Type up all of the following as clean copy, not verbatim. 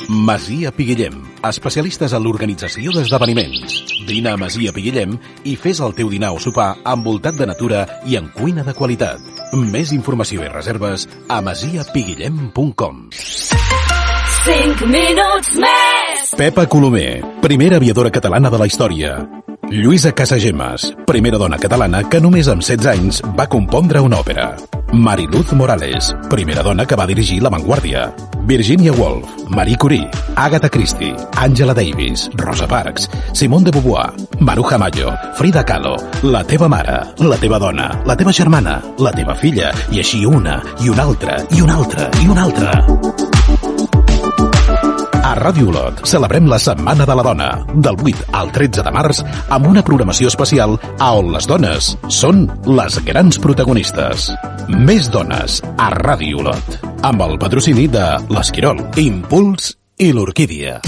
Masia Piguillem, especialistes en l'organització d'esdeveniments. Vine a Masia Piguillem i fes el teu dinar o sopar envoltat de natura i en cuina de qualitat. Més informació i reserves a masiapiguillem.com. 5 minuts més! Pepa Colomer, primera aviadora catalana de la història. Lluïsa Casagemas, primera dona catalana que només amb 16 anys va compondre una òpera. Mariluz Morales, primera dona que va dirigir La Vanguardia. Virginia Woolf, Marie Curie, Agatha Christie, Angela Davis, Rosa Parks, Simone de Beauvoir, Maruja Mayo, Frida Kahlo, la teva mare, la teva dona, la teva germana, la teva filla, i així una, i una altra, i una altra, i una altra. A Ràdio Olot celebrem la Setmana de la Dona, del 8 al 13 de març, amb una programació especial on les dones són les grans protagonistes. Més dones a Ràdio Olot, amb el patrocini de l'Esquirol, Impuls i l'Orquídia.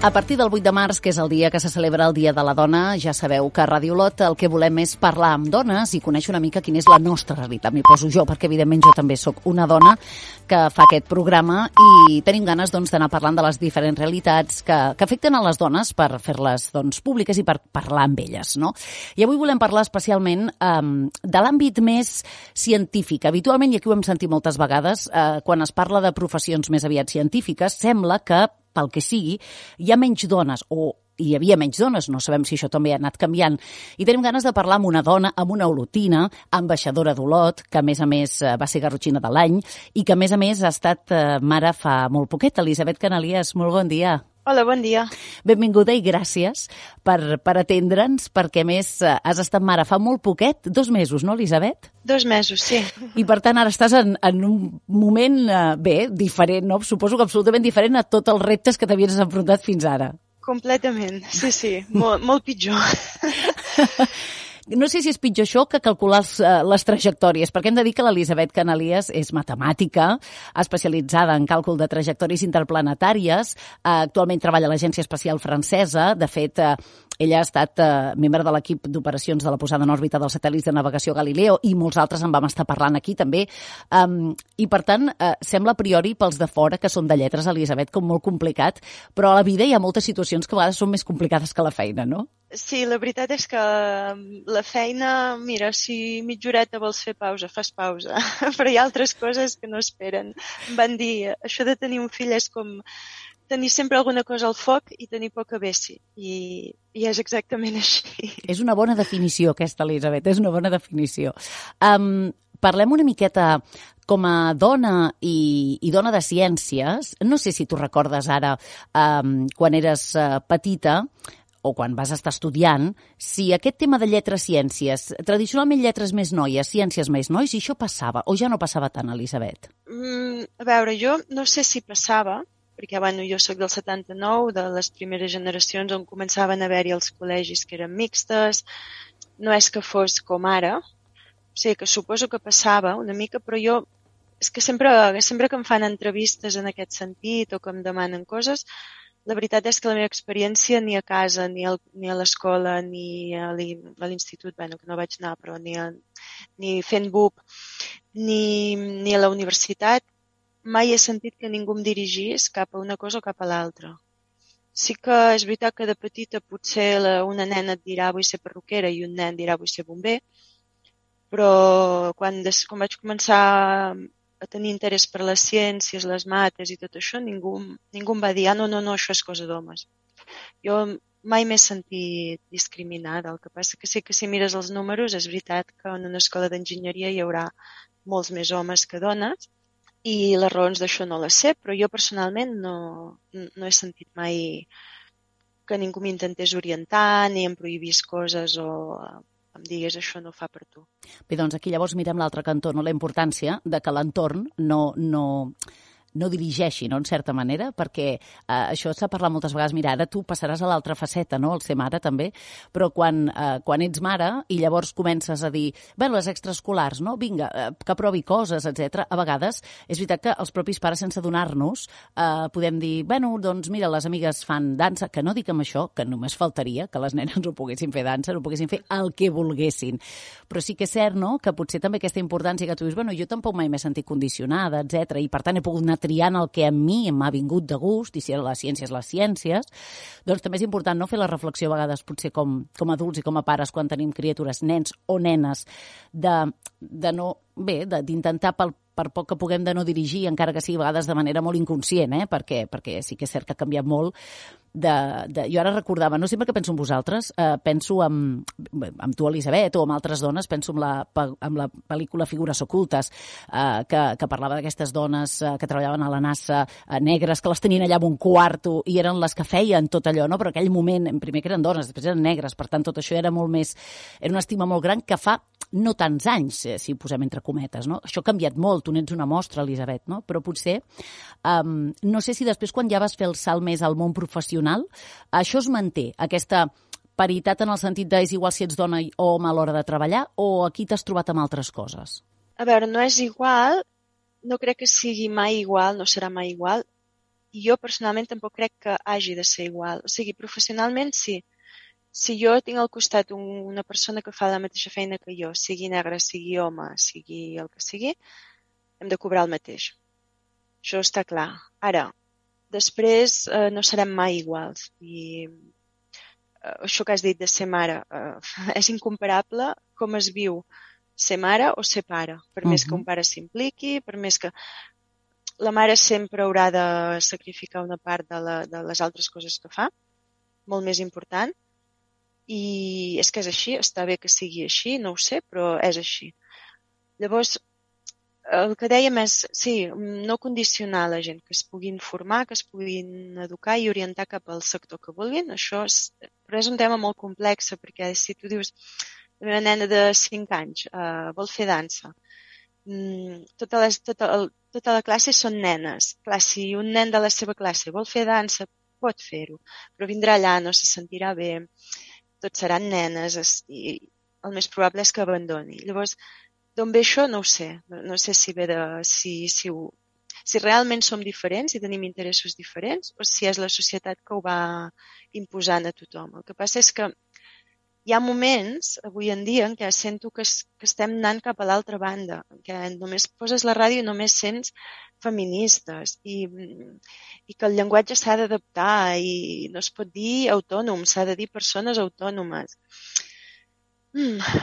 A partir del 8 de març, que és el dia que se celebra el Dia de la Dona, ja sabeu que a Ràdio Olot el que volem és parlar amb dones i conèixer una mica quina és la nostra realitat. M'hi poso jo, perquè evidentment jo també sóc una dona que fa aquest programa i tenim ganes d'anar parlant de les diferents realitats que afecten a les dones per fer-les públiques i per parlar amb elles, no? I avui volem parlar especialment de l'àmbit més científic. Habitualment, i aquí ho hem sentit moltes vegades, quan es parla de professions més aviat científiques, sembla que pel que sigui, hi ha menys dones, o hi havia menys dones, no sabem si això també ha anat canviant, i tenim ganes de parlar amb una dona, amb una olotina, ambaixadora d'Olot, que a més va ser garrotxina de l'any, i que a més ha estat mare fa molt poquet. Elisabet Canalies, molt bon dia. Hola, bon dia. Benvinguda i gràcies per atendre'ns, perquè a més has estat mare fa molt poquet, 2 mesos, no, Elisabet? 2 mesos, sí. I per tant ara estàs en un moment, diferent, no? Suposo que absolutament diferent a tots els reptes que t'havies enfrontat fins ara. Completament, sí, molt pitjor. No sé si és pitjor això que calcular les trajectòries, perquè hem de dir que l'Elisabet Canalies és matemàtica, especialitzada en càlcul de trajectòries interplanetàries, actualment treballa a l'Agència Espacial Francesa, de fet, ella ha estat membre de l'equip d'operacions de la posada en òrbita dels satèl·lits de navegació Galileo i molts altres en vam estar parlant aquí també. I per tant, sembla a priori pels de fora que són de lletres, Elisabet, com molt complicat, però a la vida hi ha moltes situacions que a vegades són més complicades que la feina, no? Sí, la veritat és que la feina, mira, si mitja horeta vols fer pausa, fas pausa, però hi ha altres coses que no esperen. Em van dir, això de tenir un fill és com tenir sempre alguna cosa al foc i tenir poca bessi, i és exactament així. És una bona definició aquesta, Elisabet, és una bona definició. Parlem una miqueta com a dona i dona de ciències. No sé si tu recordes ara, quan eres petita, o quan vas estar estudiant, si aquest tema de lletres-ciències, tradicionalment lletres més noies, ciències més nois, si això passava, o ja no passava tant, Elisabet? A veure, jo no sé si passava, perquè jo soc del 79, de les primeres generacions on començaven a haver-hi els col·legis que eren mixtes, no és que fos com ara, o sigui que suposo que passava una mica, però jo, és que sempre que em fan entrevistes en aquest sentit o que em demanen coses, la veritat és que la meva experiència ni a casa, ni a l'escola, ni a l'institut, que no vaig anar, però ni fent BUP, ni a la universitat, mai he sentit que ningú em dirigís cap a una cosa o cap a l'altra. Sí que és veritat que de petita potser una nena et dirà vull ser perruquera i un nen dirà vull ser bomber, però quan vaig començar a tenir interès per les ciències, les mates i tot això, ningú em va dir no, això és cosa d'homes. Jo mai m'he sentit discriminada. El que passa que sí que si mires els números és veritat que en una escola d'enginyeria hi haurà molts més homes que dones i les raons d'això no les sé, però jo personalment no he sentit mai que ningú m'intentés orientar ni em prohibís coses o em digués això no fa per tu. Bé, doncs aquí llavors mirem l'altre cantó, no? La importància de que l'entorn no no dirigeixi, no?, en certa manera, perquè això s'ha parlat moltes vegades. Mira, ara tu passaràs a l'altra faceta, no?, el ser mare també, però quan ets mare i llavors comences a dir, bueno, les extraescolars, no?, vinga, que provi coses, etc. A vegades és veritat que els propis pares, sense adonar-nos, podem dir, bueno, doncs mira, les amigues fan dansa, que no dic amb això, que només faltaria que les nenes no poguessin fer dansa, no poguessin fer el que volguessin. Però sí que és cert, no?, que potser també aquesta importància que tu dius, bueno, jo tampoc mai m'he sentit condicionada, etc. I per tant he pogut anar triant el que a mi m'ha vingut de gust, i si les ciències, doncs també és important, no?, fer la reflexió a vegades, potser com adults i com a pares, quan tenim criatures, nens o nenes, d'intentar per poc que puguem de no dirigir, encara que sigui a vegades de manera molt inconscient, perquè sí que és cert que ha canviat molt. Jo ara recordava, no sempre que penso en vosaltres, penso amb tu, Elisabet, o amb altres dones, penso en la pel·lícula Figures ocultes, que parlava d'aquestes dones que treballaven a la NASA, negres, que les tenien allà en un quarto i eren les que feien tot allò, no? Però en aquell moment, primer que eren dones, després eren negres, per tant tot això era molt més, era una estima molt gran que fa no tants anys, si ho posem entre cometes, no? Això ha canviat molt, tu n'ets una mostra, Elisabet, no? Però potser, no sé si després quan ja vas fer el salt més al món professional, això es manté, aquesta paritat en el sentit de és igual si ets dona o home a l'hora de treballar, o aquí t'has trobat amb altres coses? A veure, no és igual, no crec que sigui mai igual, no serà mai igual, i jo personalment tampoc crec que hagi de ser igual. O sigui, professionalment sí. Si jo tinc al costat una persona que fa la mateixa feina que jo, sigui negre, sigui home, sigui el que sigui, hem de cobrar el mateix. Això està clar. Ara, després no serem mai iguals. I això que has dit de ser mare és incomparable com es viu ser mare o ser pare. Per més que un pare s'impliqui, per més que la mare sempre haurà de sacrificar una part de les altres coses que fa, molt més important. I és que és així, està bé que sigui així, no ho sé, però és així. Llavors, el que dèiem és, sí, no condicionar la gent, que es puguin formar, que es puguin educar i orientar cap al sector que vulguin, però és un tema molt complex, perquè si tu dius, la meva nena de 5 anys vol fer dansa, tota la classe són nenes. Clar, si un nen de la seva classe vol fer dansa, pot fer-ho, però vindrà allà, no se sentirà bé, tots seran nenes i el més probable és que abandoni. Llavors, d'on ve això no ho sé. No sé si ve de... Si realment som diferents i tenim interessos diferents o si és la societat que ho va imposant a tothom. El que passa és que hi ha moments, avui en dia, en què sento que estem anant cap a l'altra banda, en què només poses la ràdio i només sents feministes i que el llenguatge s'ha d'adaptar i no es pot dir autònom, s'ha de dir persones autònomes.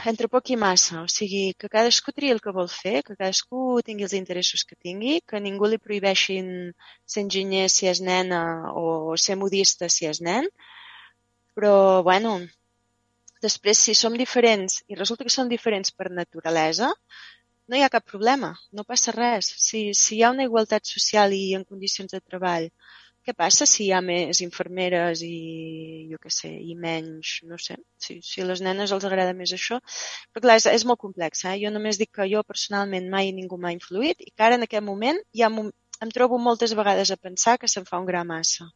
Entre poc i massa, o sigui, que cadascú triï el que vol fer, que cadascú tingui els interessos que tingui, que ningú li prohibeixin ser enginyer si és nena o ser modista si és nen, però, bueno, després si som diferents i resulta que som diferents per naturalesa, no hi ha cap problema, no passa res. Si hi ha una igualtat social i en condicions de treball, què passa si hi ha més infermeres i, jo què sé, i menys, no sé, si a les nenes els agrada més això? Però clar, és molt complex, Jo només dic que jo personalment mai ningú m'ha influït i que ara en aquest moment ja em trobo moltes vegades a pensar que se'n fa un gra massa.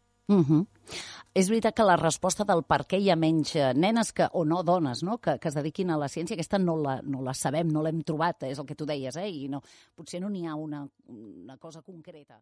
És veritat que la resposta del per què hi ha menys nenes o no dones, no? Que es dediquin a la ciència, aquesta no la sabem, no l'hem trobat, és el que tu deies, i no, potser no n'hi ha una cosa concreta.